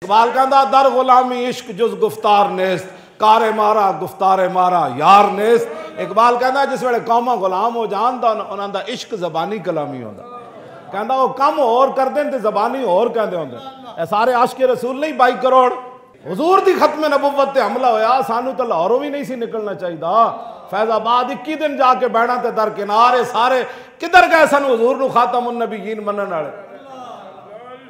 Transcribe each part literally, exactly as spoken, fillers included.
اقبال کہندا، "در غلامی عشق جز گفتار نیست، کار مارا گفتار مارا یار نیست۔" اقبال کہندا، جس ویلے قوماں غلام ہو جان تاں انہاں دا عشق زبانی کلامی ہوندا۔ کہندا، "او کم ہور کردے تے زبانی ہور کہندے ہوندے۔" اے سارے عاشق رسول نہیں، بائی کروڑ۔ حضور دی ختم نبوت تے حملہ ہویا، سانو تاں لاہوروں بھی نہیں سی نکلنا چاہیدا۔ فیض آباد اکی دن جا کے بہنا تے درکنار، اے سارے کدھر گئے سن حضور نو خاتم النبیین منن والے؟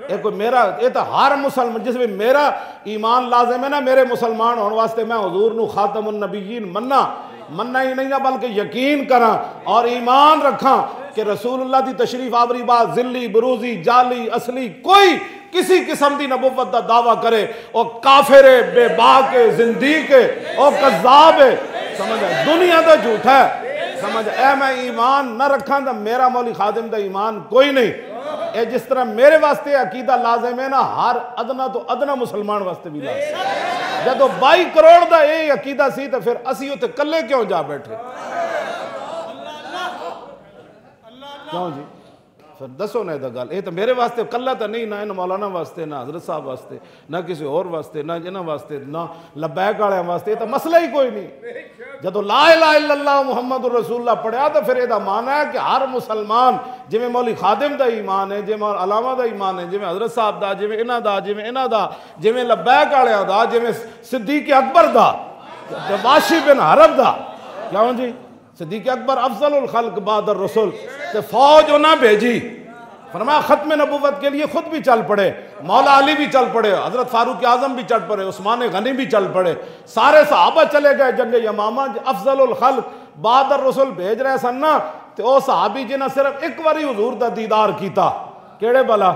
اے کوئی میرا، اے تاں ہر مسلمان، جس وچ میرا ایمان لازم ہے نا، میرے مسلمان ہون واسطے میں حضور نو خاتم النبیین مننا، مننا ہی نہیں نہ بلکہ یقین کراں اور ایمان رکھاں کہ رسول اللہ دی تشریف آوری بعد ذلی، بروزی، جعلی، اصلی، کوئی کسی قسم دی نبوت دا دعویٰ کرے، او کافر ہے، بے باک ہے، زندیق ہے، او کذاب ہے۔ سمجھ آئے؟ دنیا دا جھوٹا ہے۔ سمجھ آئے؟ اے میں ایمان نہ رکھاں تاں میرا مولی خادم دا ایمان کوئی نہیں۔ اے جس طرح میرے واسطے عقیدہ لازم ہے نا، ہر ادنا تو ادنا مسلمان واسطے بھی لازم ہے۔ جدوں بائی کروڑ دا اے عقیدہ سی، تو پھر اسی اتنے کلے کیوں جا بیٹھے؟ کیوں جی؟ پھر دسو نا، اے دا گل، اے تو میرے واسطے کلا تو نہیں، نہ ان مولانا واسطے، نہ حضرت صاحب واسطے، نہ کسی اور واسطے، نہ انہاں واسطے، نہ لبیک والے واسطے، اے تو مسئلہ ہی کوئی نہیں۔ جدوں لا الہ الا اللہ محمد رسول اللہ پڑھیا، تو پھر اے دا معنی ہے کہ ہر مسلمان، جویں مولی خادم دا ایمان ہے، جویں علامہ دا ایمان ہے، جویں حضرت صاحب دا، جویں انہاں دا، جویں انہاں دا، جویں لبیک والے دا، جویں صدیق اکبر دا، تے واشی بن حرب دا۔ کیوں جی؟ صدیق اکبر افضل الخلق بعد الرسل، تے فوج انہاں بھیجی۔ فرمایا، ختم نبوت کے لیے خود بھی چل پڑے، مولا علی بھی چل پڑے، حضرت فاروق اعظم بھی چل پڑے، عثمان غنی بھی چل پڑے، سارے صحابہ چلے گئے جنگ یمامہ۔ افضل الخلق بعد الرسل بھیج رہے سن نا، تے او صحابی جنہاں صرف ایک واری حضور دا دیدار کیتا، کیڑے بلا؟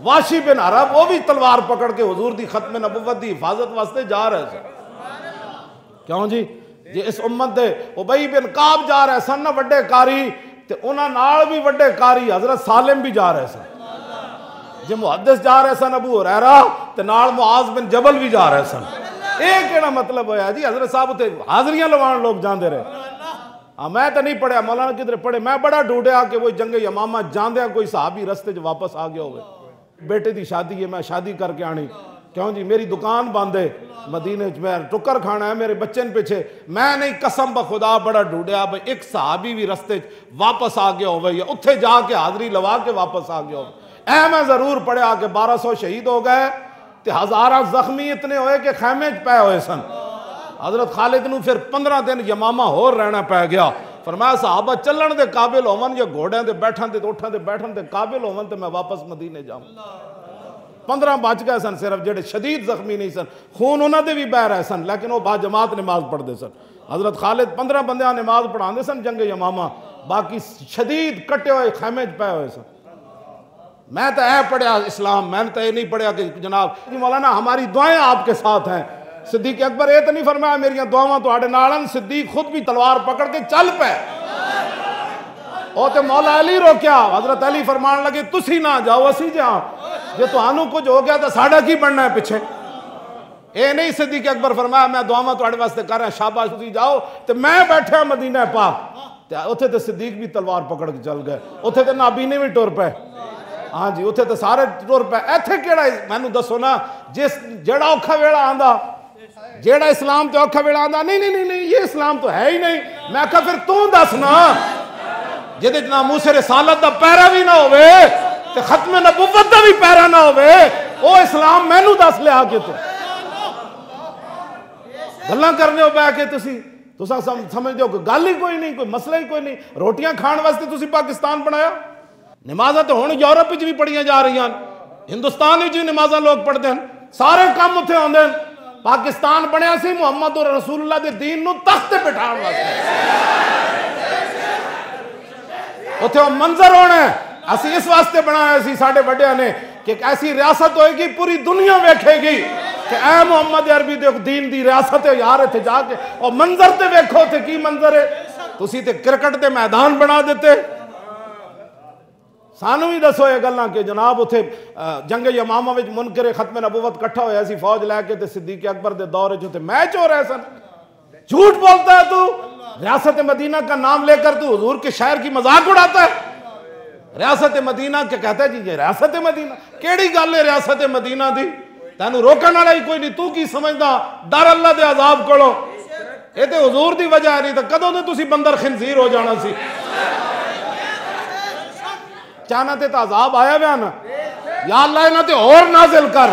واشی بن عرب، وہ بھی تلوار پکڑ کے حضور دی ختم نبوت دی حفاظت واسطے جا رہے سن۔ کیوں جی؟ جے اس امت دے ابی بن کعب جا رہے سن نا وڈے قاری، تے انہاں نال بھی وڈے قاری حضرت سالم بھی جا رہے سن۔ جے محدث جا رہے سن ابو ہریرہ، تے نال معاذ بن جبل بھی جا رہے سن۔ اے کیڑا مطلب ہویا جی؟ حضرت صاحب اتھے حاضریاں لوان لوگ جاندے رہے۔ ہاں، میں تے نہیں پڑھیا، مولانا کدھر پڑھے؟ میں بڑا ڈھونڈیا کہ وہ جنگ یمامہ جاندیاں کوئی صحابی رستے چ واپس آ گیا ہوئے۔ بیٹے دی شادی ہے، میں شادی کر کے آنی۔ کیوں جی؟ میری دکان بند ہے، مدینے وچ میں ٹکر کھانا ہے، میرے بچے نے پیچھے۔ میں نہیں، قسم بخدا بڑا ڈھونڈیا بھئی ایک صحابی بھی رستے وچ واپس آ گیا ہوئے یا اتھے جا کے حاضری لوا کے واپس آ گیا ہوئے۔ اے میں ضرور پڑھیا کہ بارہ سو شہید ہو گئے تے ہزاراں زخمی اتنے ہوئے کہ خیمے وچ پے ہوئے سن۔ حضرت خالد نو پھر پندرہ دن یمامہ ہور رہنا پے گیا۔ فرمایا، صحابہ چلن دے قابل ہون یا گھوڑیاں دے بیٹھن دے، اٹھاں دے بیٹھن دے قابل ہون تے میں واپس مدینے جاؤں۔ پندرہ بچ گئے سن صرف، جڑے شدید زخمی نہیں سن، خون انہاں دے بھی بہ رہے سن، لیکن وہ با جماعت نماز پڑھتے سن۔ حضرت خالد پندرہ بندیاں نماز پڑھاندے سن جنگ یمامہ، باقی شدید کٹے ہوئے خیمے چ پے ہوئے سن۔ میں تو اے پڑھیا اسلام، میں نے تو اے نہیں پڑھیا کہ جناب جی مولانا ہماری دعائیں آپ کے ساتھ ہیں۔ صدیق اکبر اے تو نہیں فرمایا، "میریاں دعاواں تہاڈے نال ہن۔" صدیق خود بھی تلوار پکڑ کے چل پے۔ او تے مولا علی روکیا، حضرت علی فرمان لگے، "تسی نہ جاؤ، اسی جاؤ، جے تہانوں کچھ ہو گیا تو ساڈا کی بننا ہے پیچھے؟" اے نہیں صدیق اکبر فرمایا، "میں دعاواں تہاڈے واسطے کر رہا، شاباش، تسی جاؤ، تے میں بیٹھا مدینہ پاک۔" تے اتھے تے صدیق بھی تلوار پکڑ کے چل گئے، اتھے تے نابینے بھی ٹر پے۔ ہاں جی، اتھے تے سارے ٹر پے۔ ایتھے کیڑا، مینوں دسو نا، جس، جیڑا اوکھا ویلا آندا، جیڑا اسلام تے اوکھا ویلا آندا، "نہیں، نہیں، نہیں، نہیں، یہ اسلام تو ہے ہی نہیں۔" میں کہا، "پھر تو دس نا، جدے ناموس رسالت دا پیرا بھی نہ ہوئے تے ختم نبوت دا بھی پیرا نہ ہوئے، او اسلام مینوں دس لیا کے تو۔" گلاں کرنے ہو بہ کے تسی، تساں سم-، سمجھدے ہو کہ گل ہی کوئی نہیں، کوئی مسئلہ ہی کوئی نہیں۔ روٹیاں کھان واسطے تسی پاکستان بنایا؟ نمازاں تے ہن یورپ وچ بھی پڑھیاں جا رہیاں ہن، ہندوستان وچ بھی نمازاں لوگ پڑھدے ہن، سارے کم اتھے ہوندے ہن۔ پاکستان بنیا سی محمد رسول اللہ دے دین نو تخت تے بٹھان واسطے۔ اتھے او منظر ہونا ہے۔ اسی اس واسطے بنایا سی ساڈے وڈیاں نے کہ ایک ایسی ریاست ہوئے گی، پوری دنیا ویکھے گی کہ اے محمد عربی دے دین دی ریاست ہے یار۔ اتھے جا کے او منظر تے ویکھو، اتھے کی منظر ہے۔ تسی تے کرکٹ دے میدان بنا دیتے۔ سانو بھی دسو یہ گلاں کہ جناب اتھے، آ، جنگ یمامہ وچ منکر ختم نبوت کٹھا ہویا سی فوج لے کے، تے صدیق اکبر دے دور وچ اتھے میچ ہو رہے سن۔ جھوٹ بولتا ہے تو، ریاست مدینہ کا نام لے کر تو حضور کے شہر کی مذاق اڑاتا ہے۔ ریاست مدینہ کیا کہتا ہے جی، یہ ریاست مدینہ؟ کیڑی گل ہے ریاست مدینہ دی؟ تینوں روکن والا ہی کوئی نہیں، تو کی سمجھدا؟ ڈر اللہ دے عذاب کولوں۔ اے تے حضور دی وجہ ہے، نہیں تے کدوں دے تسی بندر خنزیر ہو جانا سی۔ چاہنا تے تاں عذاب آیا ویا نا۔ یا اللہ، انہاں تے ہور نازل کر،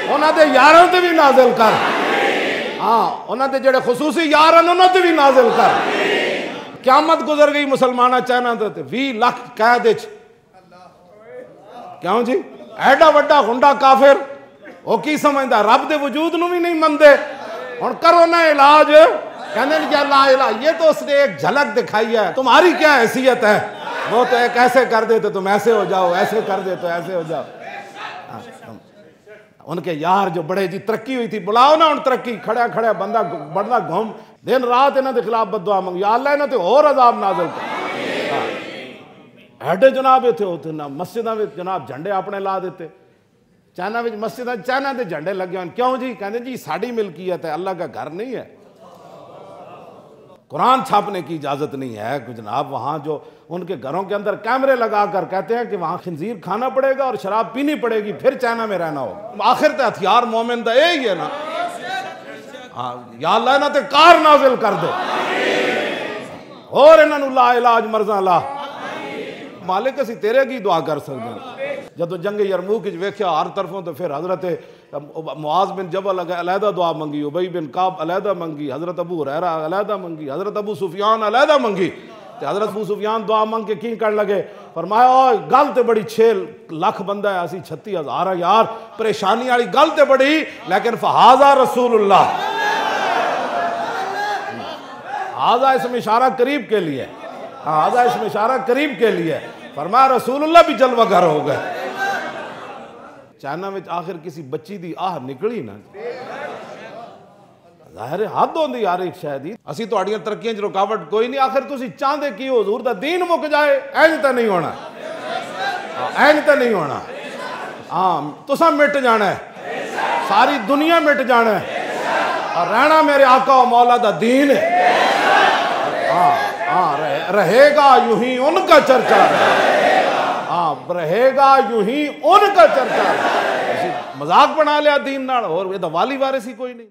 انہاں دے یاراں تے بھی نازل کر۔ ہاں، انہاں دے جڑے خصوصی یار ہیں، انہاں تے بھی نازل کر۔ قیامت گزر گئی مسلماناں، چاہنا تے وی لکھ قید وچ۔ کیوں جی؟ ایڈا وڈا غنڈا کافر، وہ کی سمجھدا؟ رب دے وجود نو بھی نہیں مندے۔ ہن کرو نا علاج۔ کہندے نے، "یا لا الہ، یہ تو اس نے ایک جھلک دکھائی ہے، تمہاری کیا حیثیت ہے؟ وہ تو ایک ایسے کر دے تو تم ایسے ہو جاؤ، ایسے کر دے تو ایسے ہو جاؤ۔" ہاں، ان کے یار جو بڑے جی ترقی ہوئی تھی، بلاؤ نا ہن ترقی، کھڑیا کھڑیا بندہ گ-، بڑھدا گھوم، دن رات انہاں دے خلاف بددعا منگ، "یا اللہ، انہاں تے ہور عذاب نازل کر۔" ہاں۔ ایڈے جناب اتھے اتھے نہ مسجداں وچ جناب جھنڈے اپنے لا دیتے۔ چائنا وچ مسجداں، چائنا دے جھنڈے لگے ہوئے۔ کیوں جی؟ کہندے جی ساڈی ملکیت ہے، اللہ کا گھر نہیں ہے۔ قرآن چھاپنے کی اجازت نہیں ہے۔ جناب وہاں جو ان کے گھروں کے اندر کیمرے لگا کر کہتے ہیں کہ وہاں خنزیر کھانا پڑے گا اور شراب پینی پڑے گی، پھر چائنا میں رہنا ہوگا۔ آخر تے ہتھیار مومن دا یہی ہے نا۔ ہاں، یا اللہ انہاں تے قہر نازل کر دے۔ اور انہاں نوں لا علاج مرضاں لا۔ مالک، اسی تیرے اگے دعا کر سکدے ہاں۔ جدوں جنگ یرموک وچ ویکھیا ہر طرفوں، تو پھر حضرت معاذ بن جبل اگے علیحدہ دعا منگی، ابی بن کعب علیحدہ منگی، حضرت ابو ہریرہ علیحدہ منگی، حضرت ابو سفیان علیحدہ منگی۔ تے حضرت ابو سفیان دعا منگ کے کی کرن لگے؟ فرمایا، "اوہ گل تے بڑی، چھ لکھ بندہ ہے، اسی چھتی ہزار ہیں یار، پریشانی والی گل تے بڑی، لیکن فہذا رسول اللہ۔" ہذا اس میں اشارہ قریب کے لیے، ہاں، ہذا اس میں اشارہ قریب کے لیے۔ فرمایا، رسول اللہ بھی جلوہ گر ہو گئے۔ چائنا وچ آخر کسی بچی دی آہ نکلی نا۔ ظاہر ہے، حد ہوندی ہر ایک شے دی۔ اسی تہاڈیاں ترقیاں 'چ رکاوٹ کوئی نہیں، آخر تسی چاہندے کی ہو؟ حضور دا دین مک جائے؟ اینج تے نہیں ہونا، اینج تے نہیں ہونا۔ ہاں، تساں مٹ جانا ہے، ساری دنیا مٹ جانا ہے، اور رہنا میرے آقا و مولا دا دین ہے۔ ہاں، ہاں، رہے، رہے گا یوں ہی ان کا چرچا۔ ہاں، رہے گا یوں ہی ان کا چرچا۔ اسی مذاق بنا لیا دین نال، اور یہ والی وارث ہی کوئی نہیں۔